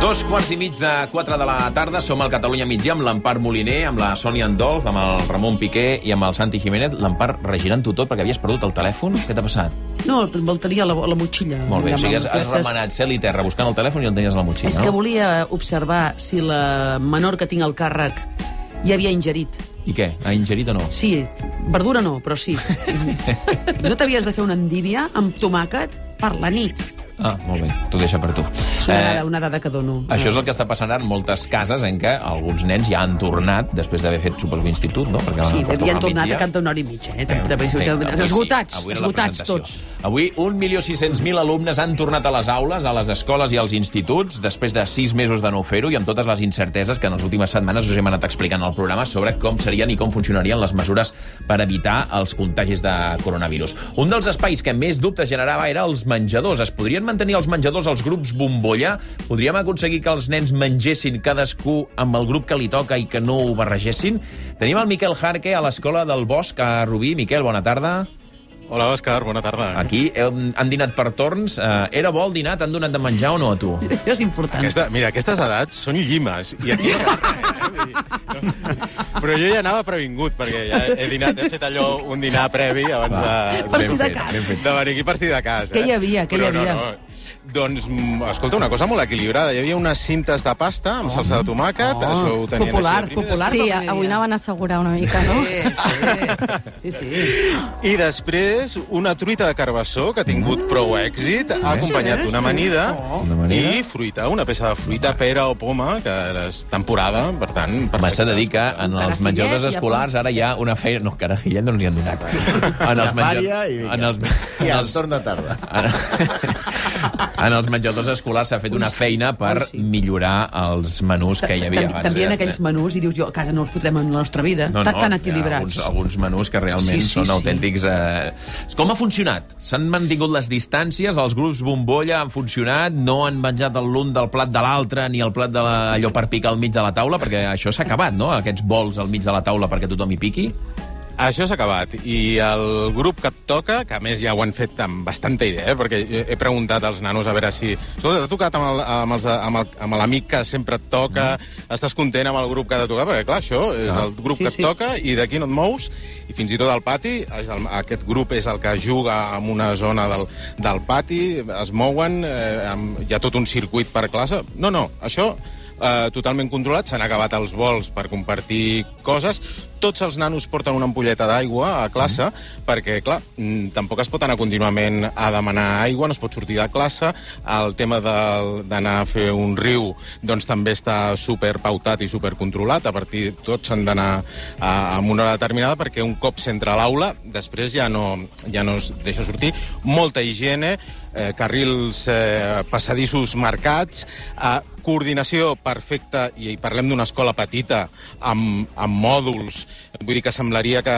2:15 de la tarda, som al Catalunya Migdia amb l'Empar Moliner, amb la Sònia Andolf, amb el Ramon Piqué i amb el Santi Jiménez. L'Empar, regirant-ho tot perquè havies perdut el telèfon. Què t'ha passat? No, el tenia a la motxilla. Molt bé, o sigui, has remenat cel i terra buscant el telèfon i el tenies a la motxilla, no? És que volia observar si la menor que tinc al càrrec ja havia ingerit. I què? Ha ingerit o no? Sí, verdura no, però sí. No t'havies de fer una endívia amb tomàquet per la nit? Ah, molt bé, t'ho deixa per tu. És una dada que dono. Això és el que està passant en moltes cases en què alguns nens ja han tornat després d'haver fet, suposo, l'institut, no? Sí, havien tornat a cap d'una hora i mitja. Esgotats tots. Avui 1.600.000 alumnes han tornat a les aules, a les escoles i als instituts, després de 6 mesos de no fer-ho i amb totes les incerteses que en les últimes setmanes us hem anat explicant al programa sobre com serien i com funcionarien les mesures per evitar els contagis de coronavirus. Un dels espais que més dubtes generava era els menjadors. Es podrien mantenir els menjadors als grups bombolla? Podríem aconseguir que els nens mengessin cadascú amb el grup que li toca i que no ho barregessin? Tenim el Miquel Jarque a l'Escola del Bosc a Rubí. Miquel, bona tarda. Hola, Òscar, bona tarda. Aquí han dinat per torns. Era bo el dinar? T'han donat de menjar o no a tu? Això és important. Mira, aquestes edats són llimes. I aquí... Però jo ja anava previngut, perquè ja he dinat, he fet allò, un dinar previ abans de... Per si de cas. De venir aquí per si de cas. Què hi havia? No. Doncs, escolta, una cosa molt equilibrada. Hi havia unes cintes de pasta amb salsa de tomàquet. Això ho tenien popular. Sí, avui anaven a assegurar una mica, no? Sí. I després, una truita de carbassó, que ha tingut prou èxit, ha acompanyat d'una amanida i fruita, una peça de fruita, pera o poma, que és temporada, per tant... M'has de dir que en els menjadors escolars ara hi ha una feina... No, carajillet no ens hi han donat. I al torn de tarda. En els menjadors escolars s'ha fet una feina per millorar els menús que hi havia abans. També en aquells menús, i dius, jo a casa no els fotrem en la nostra vida, tan equilibrats. Alguns menús que realment són autèntics. Com ha funcionat? S'han mantingut les distàncies, els grups bombolla han funcionat, no han menjat l'un del plat de l'altre ni el plat allò per picar al mig de la taula, perquè això s'ha acabat, no? Aquests bols al mig de la taula perquè tothom hi piqui. Això s'ha acabat, i el grup que et toca, que a més ja ho han fet amb bastanta idea, perquè he preguntat als nanos a veure si... Escolta, t'ha tocat amb l'amic que sempre et toca, estàs content amb el grup que t'ha tocat? Perquè, clar, això és el grup que et toca i d'aquí no et mous, i fins i tot al pati, aquest grup és el que juga en una zona del pati, es mouen, hi ha tot un circuit per classe. No, això... totalment controlat, s'han acabat els vols per compartir coses, tots els nanos porten una ampolleta d'aigua a classe, perquè, clar, tampoc es pot anar contínuament a demanar aigua, no es pot sortir de classe, el tema d'anar a fer un riu, doncs també està superpautat i supercontrolat, a partir tots s'han d'anar a una hora determinada, perquè un cop s'entra a l'aula, després ja no es deixa sortir, molta higiene, carrils passadissos marcats, coordinació perfecta, i parlem d'una escola petita, amb mòduls, vull dir que semblaria que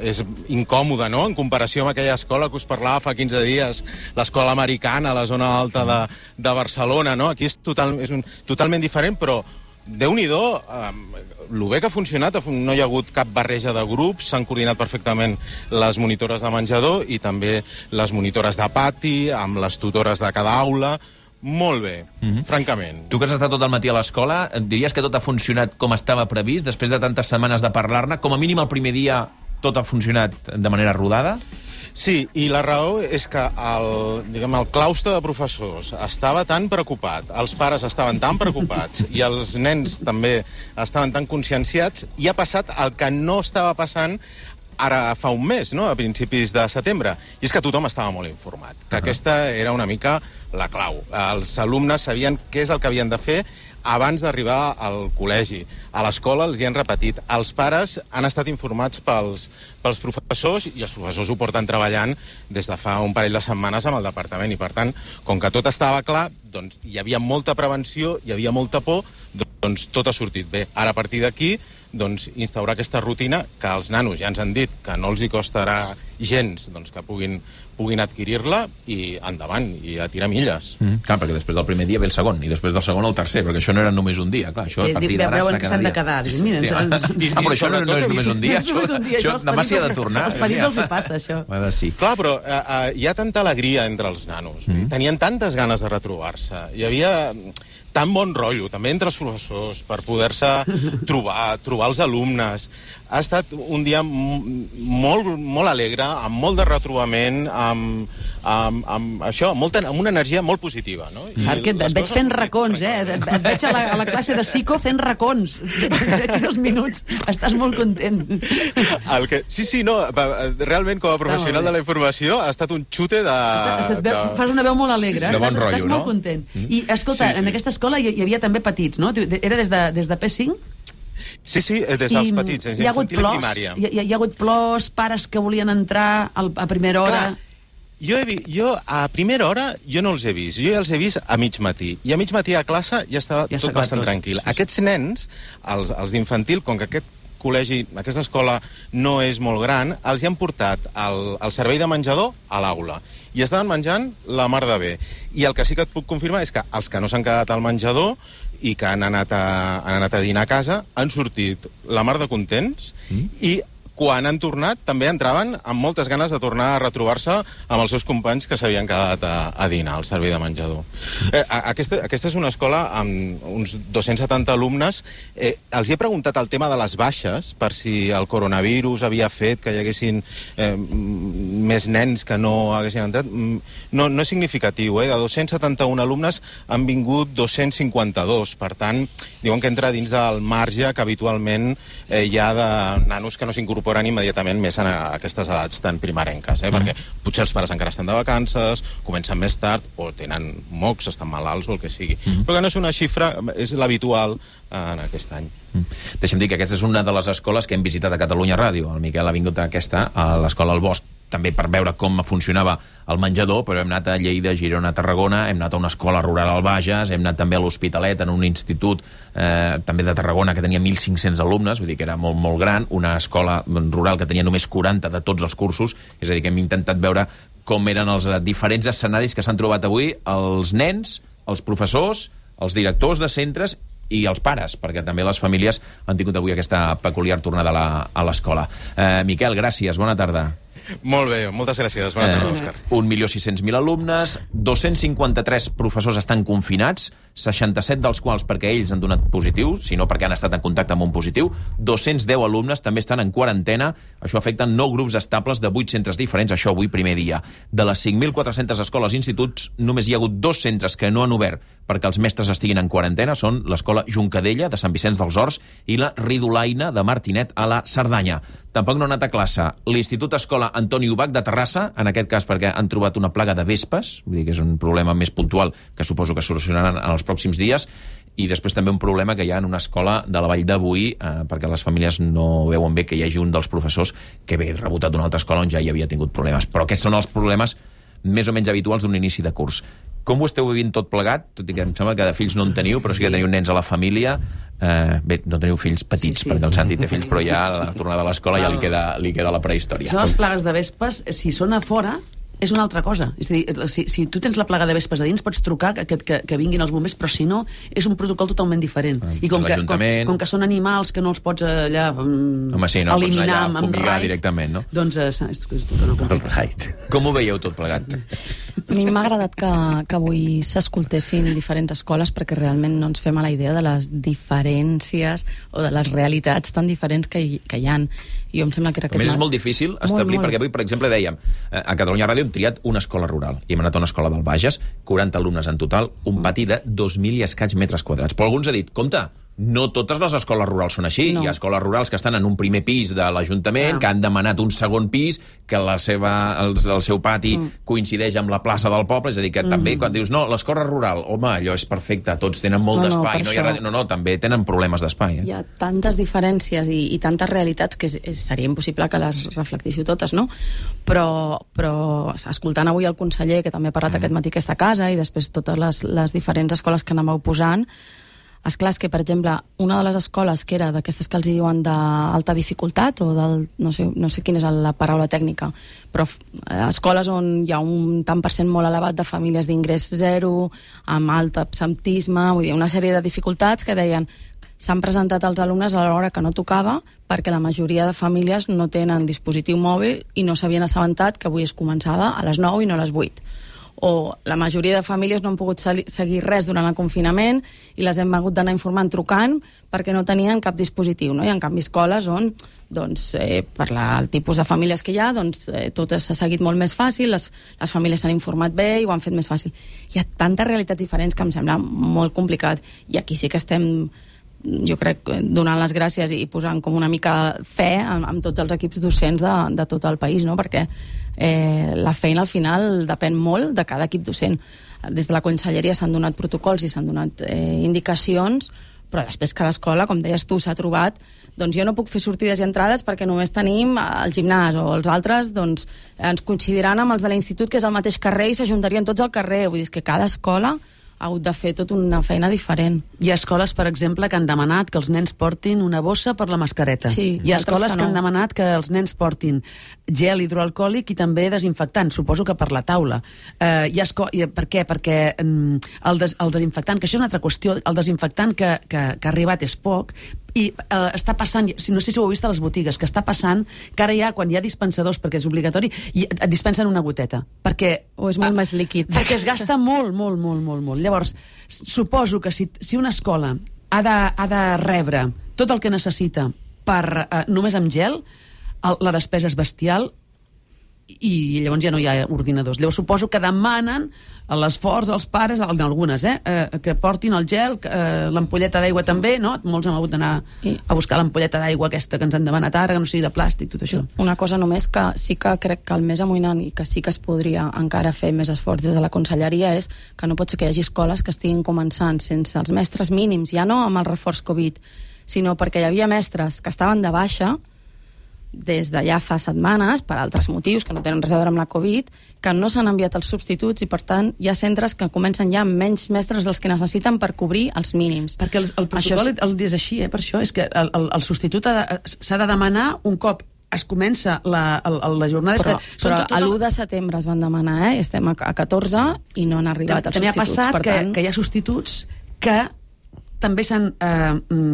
és incòmode, no?, en comparació amb aquella escola que us parlava fa 15 dies, l'escola americana, a la zona alta de Barcelona, no? Aquí és totalment diferent, però Déu-n'hi-do, el bé que ha funcionat, no hi ha hagut cap barreja de grups, s'han coordinat perfectament les monitores de menjador i també les monitores de pati, amb les tutores de cada aula. Molt bé, francament. Tu que has estat tot el matí a l'escola, diries que tot ha funcionat com estava previst, després de tantes setmanes de parlar-ne? Com a mínim el primer dia tot ha funcionat de manera rodada? Sí, i la raó és que el claustre de professors estava tan preocupat, els pares estaven tan preocupats i els nens també estaven tan conscienciats, i ha passat el que no estava passant ara fa un mes, no?, a principis de setembre, i és que tothom estava molt informat, que aquesta era una mica la clau. Els alumnes sabien què és el que havien de fer abans d'arribar al col·legi. A l'escola els hi han repetit. Els pares han estat informats pels professors, i els professors ho porten treballant des de fa un parell de setmanes amb el departament, i per tant, com que tot estava clar, doncs hi havia molta prevenció, hi havia molta por, doncs tot ha sortit bé. Ara, a partir d'aquí, doncs instaurar aquesta rutina, que els nanos ja ens han dit que no els hi costarà gens doncs, que puguin adquirir-la i endavant, i a tirar milles. Clar, perquè després del primer dia ve el segon, i després del segon el tercer, perquè això no era només un dia. Clar, això a partir d'ara veuen que s'han de quedar. Mira, però això no és només un dia. Això demà s'hi ha de tornar. Als petits els hi passa, això. Sí. Clar, però hi ha tanta alegria entre els nanos. Tenien tantes ganes de retrobar-se. Hi havia tan bon rotllo, també entre els professors, per poder-se trobar els alumnes. Ha estat un dia molt alegre, amb molt de retrobament, amb una energia molt positiva. No? Perquè et veig fent racons, Et veig a la classe de psico fent racons. D'aquí 2 minuts estàs molt content. Sí, no, realment com a professional de la informació ha estat un xute de... Fas una veu molt alegre, estàs molt content. I escolta, en aquesta escola hi havia també petits, no? Era des de P5? Sí, des dels petits, des d'infantil i primària. Hi ha hagut plors, pares que volien entrar a primera hora... Clar. Jo a primera hora jo no els he vist, jo ja els he vist a mig matí, i a mig matí a classe ja estava tot bastant tranquil. Aquests nens, els d'infantil, com que aquesta escola no és molt gran, els hi han portat el servei de menjador a l'aula, i estaven menjant la mar de bé. I el que sí que et puc confirmar és que els que no s'han quedat al menjador i que han anat a dinar a casa han sortit la mar de contents, i quan han tornat, també entraven amb moltes ganes de tornar a retrobar-se amb els seus companys que s'havien quedat a dinar al servei de menjador. Aquesta és una escola amb uns 270 alumnes. Els he preguntat el tema de les baixes, per si el coronavirus havia fet que hi haguessin més nens que no haguessin entrat. No és significatiu, De 271 alumnes han vingut 252. Per tant, diuen que entra dins del marge que habitualment hi ha de nanos que no s'incorporen immediatament més en aquestes edats tan primerenques, perquè potser els pares encara estan de vacances, comencen més tard, o tenen mocs, estan malalts o el que sigui. Però que no és una xifra, és l'habitual en aquest any. Deixa'm dir que aquesta és una de les escoles que hem visitat a Catalunya Ràdio. El Miquel ha vingut a l'escola al Bosc, també per veure com funcionava el menjador, però hem anat a Lleida, Girona, Tarragona, hem anat a una escola rural al Bages, hem anat també a l'Hospitalet, en un institut també de Tarragona que tenia 1.500 alumnes, vull dir que era molt, molt gran, una escola rural que tenia només 40 de tots els cursos, és a dir, que hem intentat veure com eren els diferents escenaris que s'han trobat avui els nens, els professors, els directors de centres i els pares, perquè també les famílies han tingut avui aquesta peculiar tornada a l'escola. Miquel, gràcies, bona tarda. Molt bé, moltes gràcies. Bona tarda, Òscar. 1.600.000 alumnes, 253 professors estan confinats, 67 dels quals perquè ells han donat positiu, sinó perquè han estat en contacte amb un positiu, 210 alumnes també estan en quarantena, això afecta 9 grups estables de 8 centres diferents, això avui primer dia. De les 5.400 escoles i instituts, només hi ha hagut 2 centres que no han obert perquè els mestres estiguin en quarantena, són l'escola Juncadella, de Sant Vicenç dels Horts, i la Ridolaina, de Martinet, a la Cerdanya. Tampoc no ha anat a classe l'Institut Escola Antoni Ubach de Terrassa, en aquest cas perquè han trobat una plaga de vespes, vull dir que és un problema més puntual que suposo que solucionaran en els pròxims dies, i després també un problema que hi ha en una escola de la Vall de Boí, perquè les famílies no veuen bé que hi hagi un dels professors que ve rebotat d'una altra escola on ja hi havia tingut problemes. Però aquests són els problemes més o menys habituals d'un inici de curs. Com ho esteu vivint tot plegat? Tot i que em sembla que de fills no en teniu, però sí que teniu nens a la família. Bé, no teniu fills petits, perquè el Santi té fills, però ja a la tornada a l'escola ja li queda la prehistòria. Són les plagues de vespes, si són a fora, és una altra cosa. És a dir, si tu tens la plaga de vespes a dins, pots trucar que vinguin els bombers, però si no, és un protocol totalment diferent. I com que són animals que no els pots allà eliminar amb raid, directament, no? Doncs és tot una complicació. Com ho veieu tot plegat? A mi m'ha agradat que avui s'escoltessin diferents escoles perquè realment no ens fem a la idea de les diferències o de les realitats tan diferents que hi ha. Jo em sembla que era a més, és molt difícil establir, perquè avui, per exemple, dèiem, a Catalunya Ràdio hem triat una escola rural, i hem anat a una escola del Bages, 40 alumnes en total, un pati de 2.000 i escaig metres quadrats. Però alguns ha dit, compte, no totes les escoles rurals són així. No. Hi ha escoles rurals que estan en un primer pis de l'Ajuntament, que han demanat un segon pis, que el seu pati coincideix amb la plaça del poble, és a dir, que també quan dius, no, l'escola rural, home, allò és perfecte, tots tenen molt d'espai, no, també tenen problemes d'espai. Hi ha tantes diferències i tantes realitats que seria impossible que les reflectíssiu totes, no? Però escoltant avui el conseller, que també ha parlat aquest matí a aquesta casa, i després totes les diferents escoles que anàveu posant, Esclar, és que, per exemple, una de les escoles que era d'aquestes que els diuen d'alta dificultat, o no sé quina és la paraula tècnica, però escoles on hi ha un tant per cent molt elevat de famílies d'ingrés zero, amb alt absentisme, vull dir, una sèrie de dificultats que deien s'han presentat els alumnes a l'hora que no tocava perquè la majoria de famílies no tenen dispositiu mòbil i no s'havien assabentat que avui es començava a les 9 i no a les 8. O la majoria de famílies no han pogut seguir res durant el confinament i les hem hagut d'anar informant trucant perquè no tenien cap dispositiu, no? I en canvi escoles on, doncs, per el tipus de famílies que hi ha, doncs, tot s'ha seguit molt més fàcil, les famílies s'han informat bé i ho han fet més fàcil. Hi ha tantes realitats diferents que em sembla molt complicat, i aquí sí que estem, jo crec, donant les gràcies i posant com una mica fe amb tots els equips docents de tot el país, no? Perquè la feina al final depèn molt de cada equip docent. Des de la conselleria s'han donat protocols i s'han donat indicacions, però després cada escola, com deies tu, s'ha trobat, doncs jo no puc fer sortides i entrades perquè només tenim el gimnàs, o els altres doncs ens coincidiran amb els de l'institut, que és al mateix carrer, i s'ajuntarien tots al carrer. Vull dir, és que cada escola ha hagut de fer tota una feina diferent. Hi ha escoles, per exemple, que han demanat que els nens portin una bossa per la mascareta. Sí, hi ha escoles que han demanat que els nens portin gel hidroalcohòlic i també desinfectant, suposo que per la taula. Per què? Perquè el desinfectant, que això és una altra qüestió, el desinfectant que ha arribat és poc, i està passant, no sé si ho heu vist a les botigues, que està passant que ara ja, quan hi ha dispensadors, perquè és obligatori, et dispensen una goteta, perquè o és molt més líquid, perquè es gasta molt. Llavors, suposo que si una escola ha de rebre tot el que necessita només amb gel, la despesa és bestial, i llavors ja no hi ha ordinadors. Llavors suposo que demanen a l'esforç als pares, en algunes, que portin el gel, l'ampolleta d'aigua també, no? Molts hem hagut d'anar a buscar l'ampolleta d'aigua aquesta que ens han demanat ara, que no sigui de plàstic, tot això. Una cosa només que sí que crec que el més amoïnant i que sí que es podria encara fer més esforç des de la conselleria és que no pot ser que hi hagi escoles que estiguin començant sense els mestres mínims, ja no amb el reforç Covid, sinó perquè hi havia mestres que estaven de baixa des de ja fa setmanes, per altres motius que no tenen res a veure amb la Covid, que no s'han enviat els substituts, i per tant hi ha centres que comencen ja amb menys mestres dels que necessiten per cobrir els mínims. Perquè el protocol el és així, per això és que el substitut s'ha de demanar un cop es comença la jornada. Però l'1 de setembre es van demanar, estem a 14 i no han arribat els substituts. També ha passat que hi ha substituts que també s'han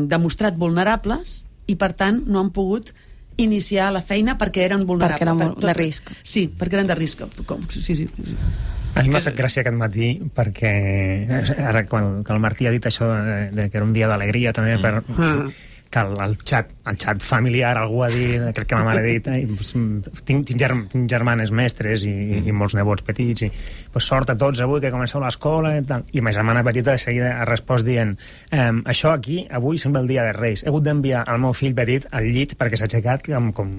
demostrat vulnerables i per tant no han pogut iniciar la feina perquè eren vulnerables. Perquè eren de risc. Sí, perquè eren de risc. Sí. A mi m'ha fet gràcia aquest matí perquè ara quan el Martí ha dit això que era un dia d'alegria també que el xat familiar algú ha dit, crec que ma mare ha dit tinc germanes mestres i molts nebots petits i sort a tots avui que comenceu l'escola i ma germana petita de seguida ha respost dient això aquí avui sembla el dia de Reis, he hagut d'enviar el meu fill petit al llit perquè s'ha aixecat com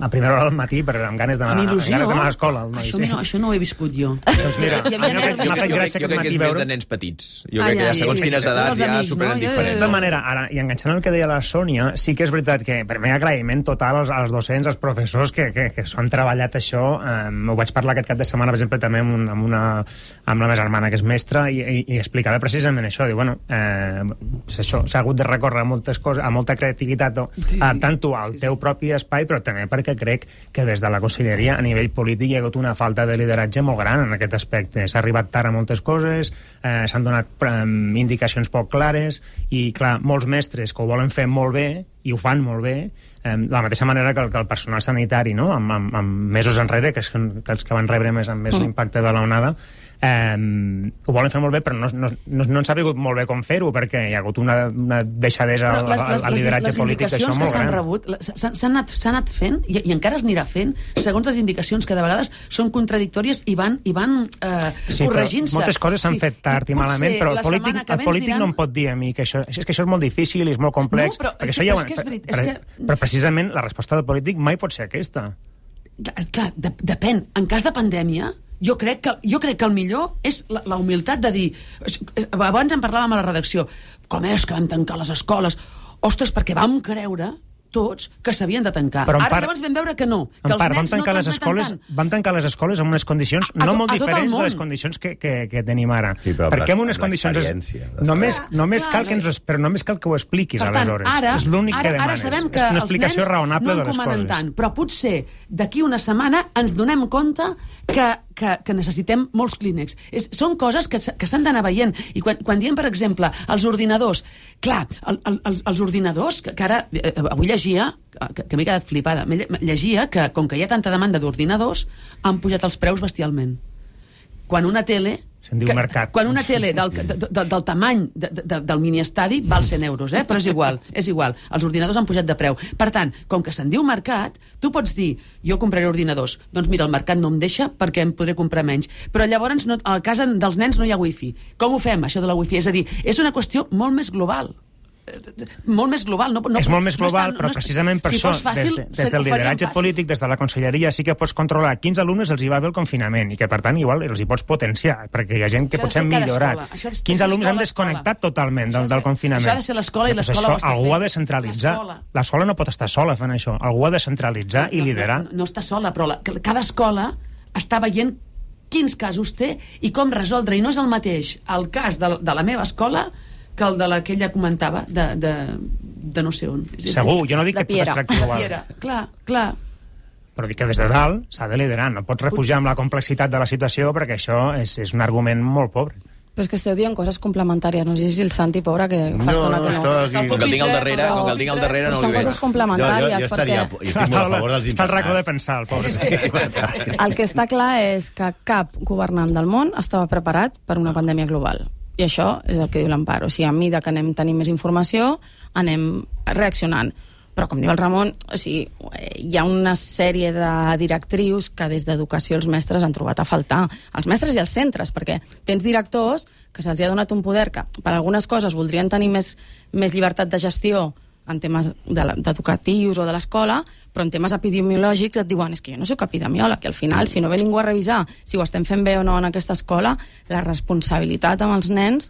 a primera hora del matí amb ganes d'anar a l'escola. Això no ho he viscut jo. Doncs mira, m'ha fet gràcia aquest matí veure. Jo crec que és més de nens petits. Jo crec que ja segons quines edats ja superen diferents. De tota manera, ara, i enganxant el que deia la Sònia, sí que és veritat que per mi agraïment total als docents, als professors que s'ho han treballat això. Ho vaig parlar aquest cap de setmana, per exemple, també amb la meva germana que és mestra i explicava precisament això, diu, bueno, això, s'ha hagut de recórrer a moltes coses, a molta creativitat, adaptant-ho al teu propi espai, però també perquè crec que des de la conselleria a nivell polític hi ha hagut una falta de lideratge molt gran en aquest aspecte. S'ha arribat tard a moltes coses, s'han donat indicacions poc clares i, clar, molts mestres que ho volen fer molt bé i ho fan molt bé, de la mateixa manera que el personal sanitari, no? amb mesos enrere, que els que van rebre més l'impacte de l'onada, ho volen fer molt bé, però no han sabut molt bé com fer-ho, perquè hi ha hagut una deixadesa al lideratge polític d'això molt gran. S'han anat fent, i encara es anirà fent, segons les indicacions que de vegades són contradictòries i van corregint-se. Moltes coses s'han fet tard i malament, però el polític no em pot dir a mi que això és molt difícil i és molt complex, perquè això ja però precisament la resposta del polític mai pot ser aquesta. Clar, depèn. En cas de pandèmia, jo crec que el millor és la humilitat de dir... Abans en parlàvem a la redacció, com és que vam tancar les escoles? Ostres, perquè vam creure tots que s'havien de tancar. Ara llavors vam veure que no, que els nens no tanquen. Van tancar les escoles amb unes condicions no molt diferents de les condicions que tenim ara. Sí, perquè en unes condicions... Només cal que ho expliquis, aleshores. És l'únic que demanes. Ara sabem que és una els explicació nens raonable no de les encomanen coses. tant, però potser d'aquí una setmana ens donem compte que necessitem molts clínecs. Són coses que s'han d'anar veient. I quan diem, per exemple, els ordinadors, clar, els ordinadors, que ara avui llegia, que m'he quedat flipada, llegia que, com que hi ha tanta demanda d'ordinadors, han pujat els preus bestialment. Quan una tele... Se'n diu mercat. Quan una tele del tamany del miniestadi val 100 euros, però és igual. Els ordinadors han pujat de preu. Per tant, com que se'n diu mercat, tu pots dir, jo compraré ordinadors. Doncs mira, el mercat no em deixa perquè em podré comprar menys. Però llavors a casa dels nens no hi ha wifi. Com ho fem, això de la wifi? És a dir, és una qüestió molt més global. Molt més global. És molt més global, però precisament per això, des del lideratge polític, des de la conselleria, sí que pots controlar quins alumnes els hi va bé el confinament i que, per tant, igual els hi pots potenciar, perquè hi ha gent que potser han millorat. Quins alumnes han desconnectat totalment del confinament. Això ha de ser l'escola i l'escola ho està fent. Algú ha de centralitzar. L'escola no pot estar sola fent això. Algú ha de centralitzar i liderar. No està sola, però cada escola està veient quins casos té i com resoldre. I no és el mateix el cas de la meva escola que el de la que ella comentava de no sé on. Segur, jo no dic que tot es tracti igual. Clar. Però dic que des de dalt s'ha de liderar. No pots refugiar amb la complexitat de la situació perquè això és un argument molt pobre. Però és que esteu dient coses complementàries. No sé si el Santi, pobre, que fa estona que no. Com que el tinc al darrere, no li veig. Són coses complementàries. Jo estic molt a favor dels internats. Està al racó de pensar, el pobre. El que està clar és que cap governant del món estava preparat per una pandèmia global. I això és el que diu l'Amparo. O sigui, a mesura que anem tenint més informació, anem reaccionant. Però, com diu el Ramon, o sigui, hi ha una sèrie de directrius que des d'educació els mestres han trobat a faltar. Els mestres i els centres, perquè tens directors que se'ls ha donat un poder que per algunes coses voldrien tenir més llibertat de gestió en temes educatius o de l'escola, però en temes epidemiològics et diuen és que jo no soc epidemiòleg, i al final, si no ve ningú a revisar si ho estem fent bé o no en aquesta escola, la responsabilitat amb els nens,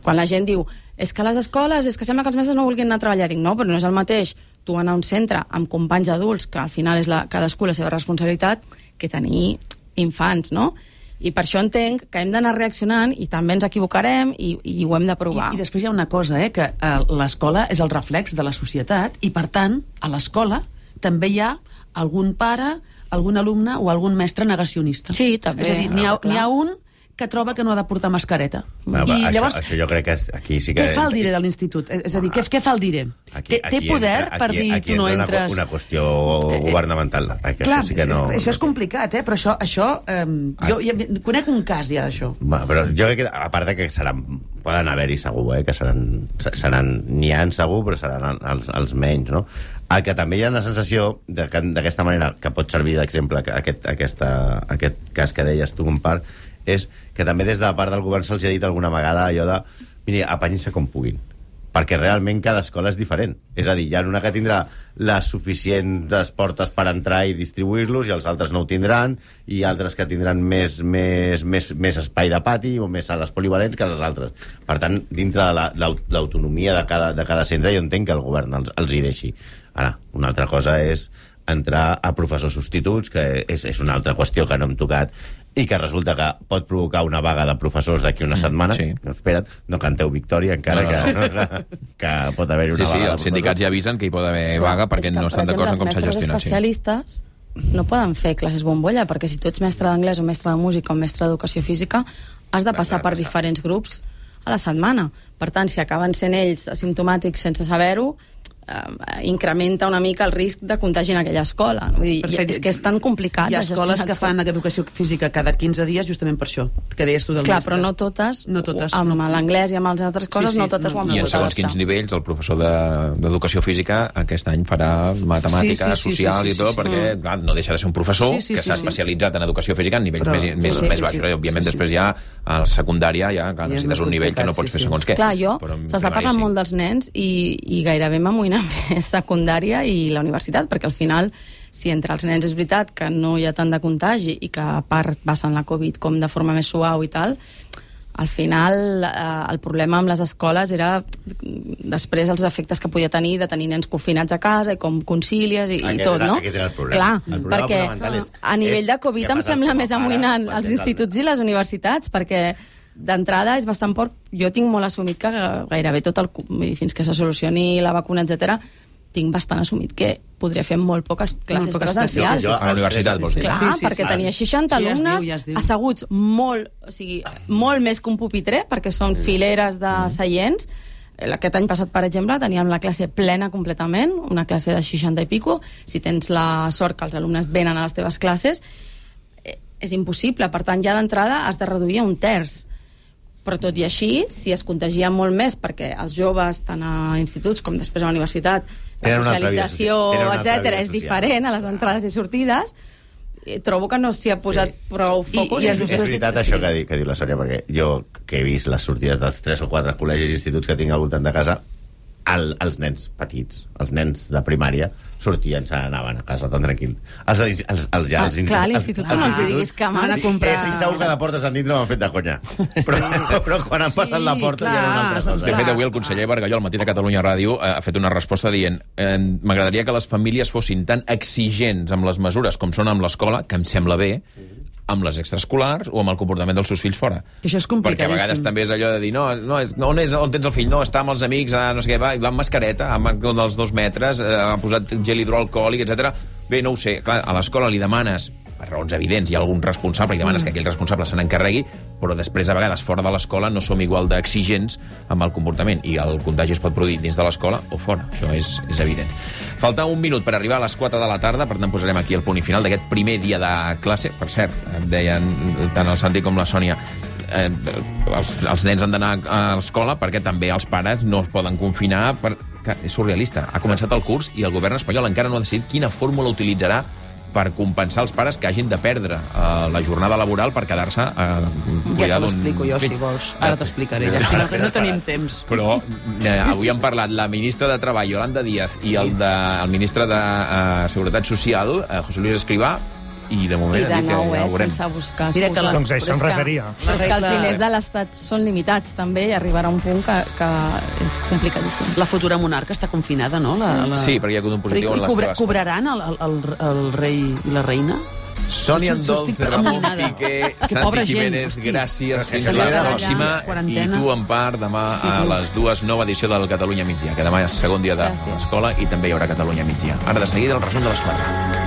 quan la gent diu és que a les escoles, és que sembla que els mestres no vulguin anar a treballar, dic no, però no és el mateix tu anar a un centre amb companys adults, que al final és cadascú la seva responsabilitat, que tenir infants, no? I per això entenc que hem d'anar reaccionant i també ens equivocarem i ho hem de provar. I després hi ha una cosa, que l'escola és el reflex de la societat i, per tant, a l'escola també hi ha algun pare, algun alumne o algun mestre negacionista. Sí, també. És a dir, n'hi ha un que troba que no ha de portar mascareta. I llavors, això jo crec que aquí sí que... Què fa el dire de l'institut? És a dir, què fa el dire? Té poder per dir tu no entres... Una qüestió governamental. Clar, això és complicat, però això... Jo conec un cas ja d'això. Però jo crec que, a part de que poden haver-hi segur, que n'hi ha segur, però seran els menys, no? El que també hi ha la sensació d'aquesta manera, que pot servir d'exemple aquest cas que deies tu, compar, és que també des de part del govern se'ls ha dit alguna vegada allò de miri, apanyar-se com puguin, perquè realment cada escola és diferent. És a dir, hi ha una que tindrà les suficients portes per entrar i distribuir-los i els altres no ho tindran, i altres que tindran més espai de pati o més sales polivalents que les altres. Per tant, dintre de l'autonomia de cada centre, jo entenc que el govern els hi deixi. Ara, una altra cosa és entrar a professors substituts, que és una altra qüestió que no hem tocat, i que resulta que pot provocar una vaga de professors d'aquí una setmana. Sí. Espera't, no canteu victòria encara, que pot haver-hi una vaga. Sí, els sindicats ja avisen que hi pot haver vaga perquè no estan d'acord en com s'ha gestionat. Els especialistes no poden fer classes bombolla, perquè si tu ets mestre d'anglès o mestre de música o mestre d'educació física, has de passar per diferents grups a la setmana. Per tant, si acaben sent ells asimptomàtics sense saber-ho, incrementa una mica el risc de contagi en aquella escola. Vull dir, és que és tan complicat. Hi ha escoles que fan educació física cada 15 dies justament per això, que deies tu del mestre. Clar, però no totes. Amb l'anglès i amb les altres coses no totes ho han pogut adaptar. I en segons quins nivells el professor d'educació física aquest any farà matemàtiques, socials i tot, perquè clar, no deixa de ser un professor que s'ha especialitzat en educació física en nivells més baixos. Òbviament després ja a la secundària necessites un nivell que no pots fer segons què. Clar, s'està parlant molt dels nens i gairebé m'amoïna més secundària i la universitat, perquè al final, si entre els nens és veritat que no hi ha tant de contagi i que a part passen la Covid com de forma més suau i tal, al final el problema amb les escoles era després els efectes que podia tenir de tenir nens confinats a casa i com concilies i tot, no? Aquest era el problema. Clar, el problema perquè a nivell de Covid em sembla més amoïnant els instituts i les universitats, perquè d'entrada és bastant poc. Jo tinc molt assumit que gairebé tot fins que se solucioni la vacuna, etc., tinc bastant assumit que podria fer molt poques classes presencials. A la universitat, vols dir? Clar, perquè tenia 60 alumnes asseguts molt més que un pupitre, perquè són fileres de seients. Aquest any passat, per exemple, teníem la classe plena completament, una classe de 60 i pico. Si tens la sort que els alumnes venen a les teves classes, és impossible. Per tant, ja d'entrada has de reduir a un terç. Però tot i així, si es contagien molt més, perquè els joves, tant a instituts com després a la universitat, la socialització, etc., és diferent a les entrades i sortides, trobo que no s'hi ha posat prou focus. És veritat això que diu la Sònia, perquè jo, que he vist les sortides dels 3 o 4 col·legis i instituts que tinc al voltant de casa, els nens petits, els nens de primària, sortien, se n'anaven a casa tan tranquil. Clar, a l'institut no els diguis que m'han a comprar... Estic segur que de portes endins no m'han fet de conya. Però quan han passat la porta ja era una altra cosa. De fet, avui el conseller Bargalló, al matí de Catalunya Ràdio, ha fet una resposta dient m'agradaria que les famílies fossin tan exigents amb les mesures com són amb l'escola, que em sembla bé, amb les extraescolars o amb el comportament dels seus fills fora. Això és complicadíssim. Perquè a vegades també és allò de dir on tens el fill? No, està amb els amics, no sé què, va amb mascareta, amb dels 2 metres, ha posat gel hidroalcohòlic, etc. Bé, no ho sé, clar, a l'escola li demanes, per raons evidents, hi ha algun responsable i demanes que aquell responsable se n'encarregui, però després, a vegades, fora de l'escola no som igual d'exigents amb el comportament i el contagi es pot produir dins de l'escola o fora. Això és evident. Falta un minut per arribar a les 4 de la tarda, per tant posarem aquí el punt i final d'aquest primer dia de classe. Per cert, deien tant el Santi com la Sònia, els nens han d'anar a l'escola perquè també els pares no es poden confinar. És surrealista. Ha començat el curs i el govern espanyol encara no ha decidit quina fórmula utilitzarà per compensar els pares que hagin de perdre la jornada laboral per quedar-se a cuidar d'un... Ja te l'explico jo, si vols. Ara t'explicaré. No tenim temps. Però avui han parlat la ministra de Treball, Yolanda Díaz, i el ministre de Seguretat Social, José Luis Escrivà, i de moment ha dit que ja ho veurem. Sense buscar excuses. Doncs això em referia. Però és que els diners de l'Estat són limitats, també, i arribarà un punt que és complicadíssim. La futura monarca està confinada, no? Sí, perquè hi ha hagut un positiu en les seves... Cobraran el rei i la reina? Sonia Dolce, Ramon Piqué, Santi Jiménez, gràcies, fins la pròxima. I tu, en part, demà a les 2, nova edició del Catalunya Migdia, que demà és segon dia de l'escola i també hi haurà Catalunya Migdia. Ara, de seguida, el resum de les 4.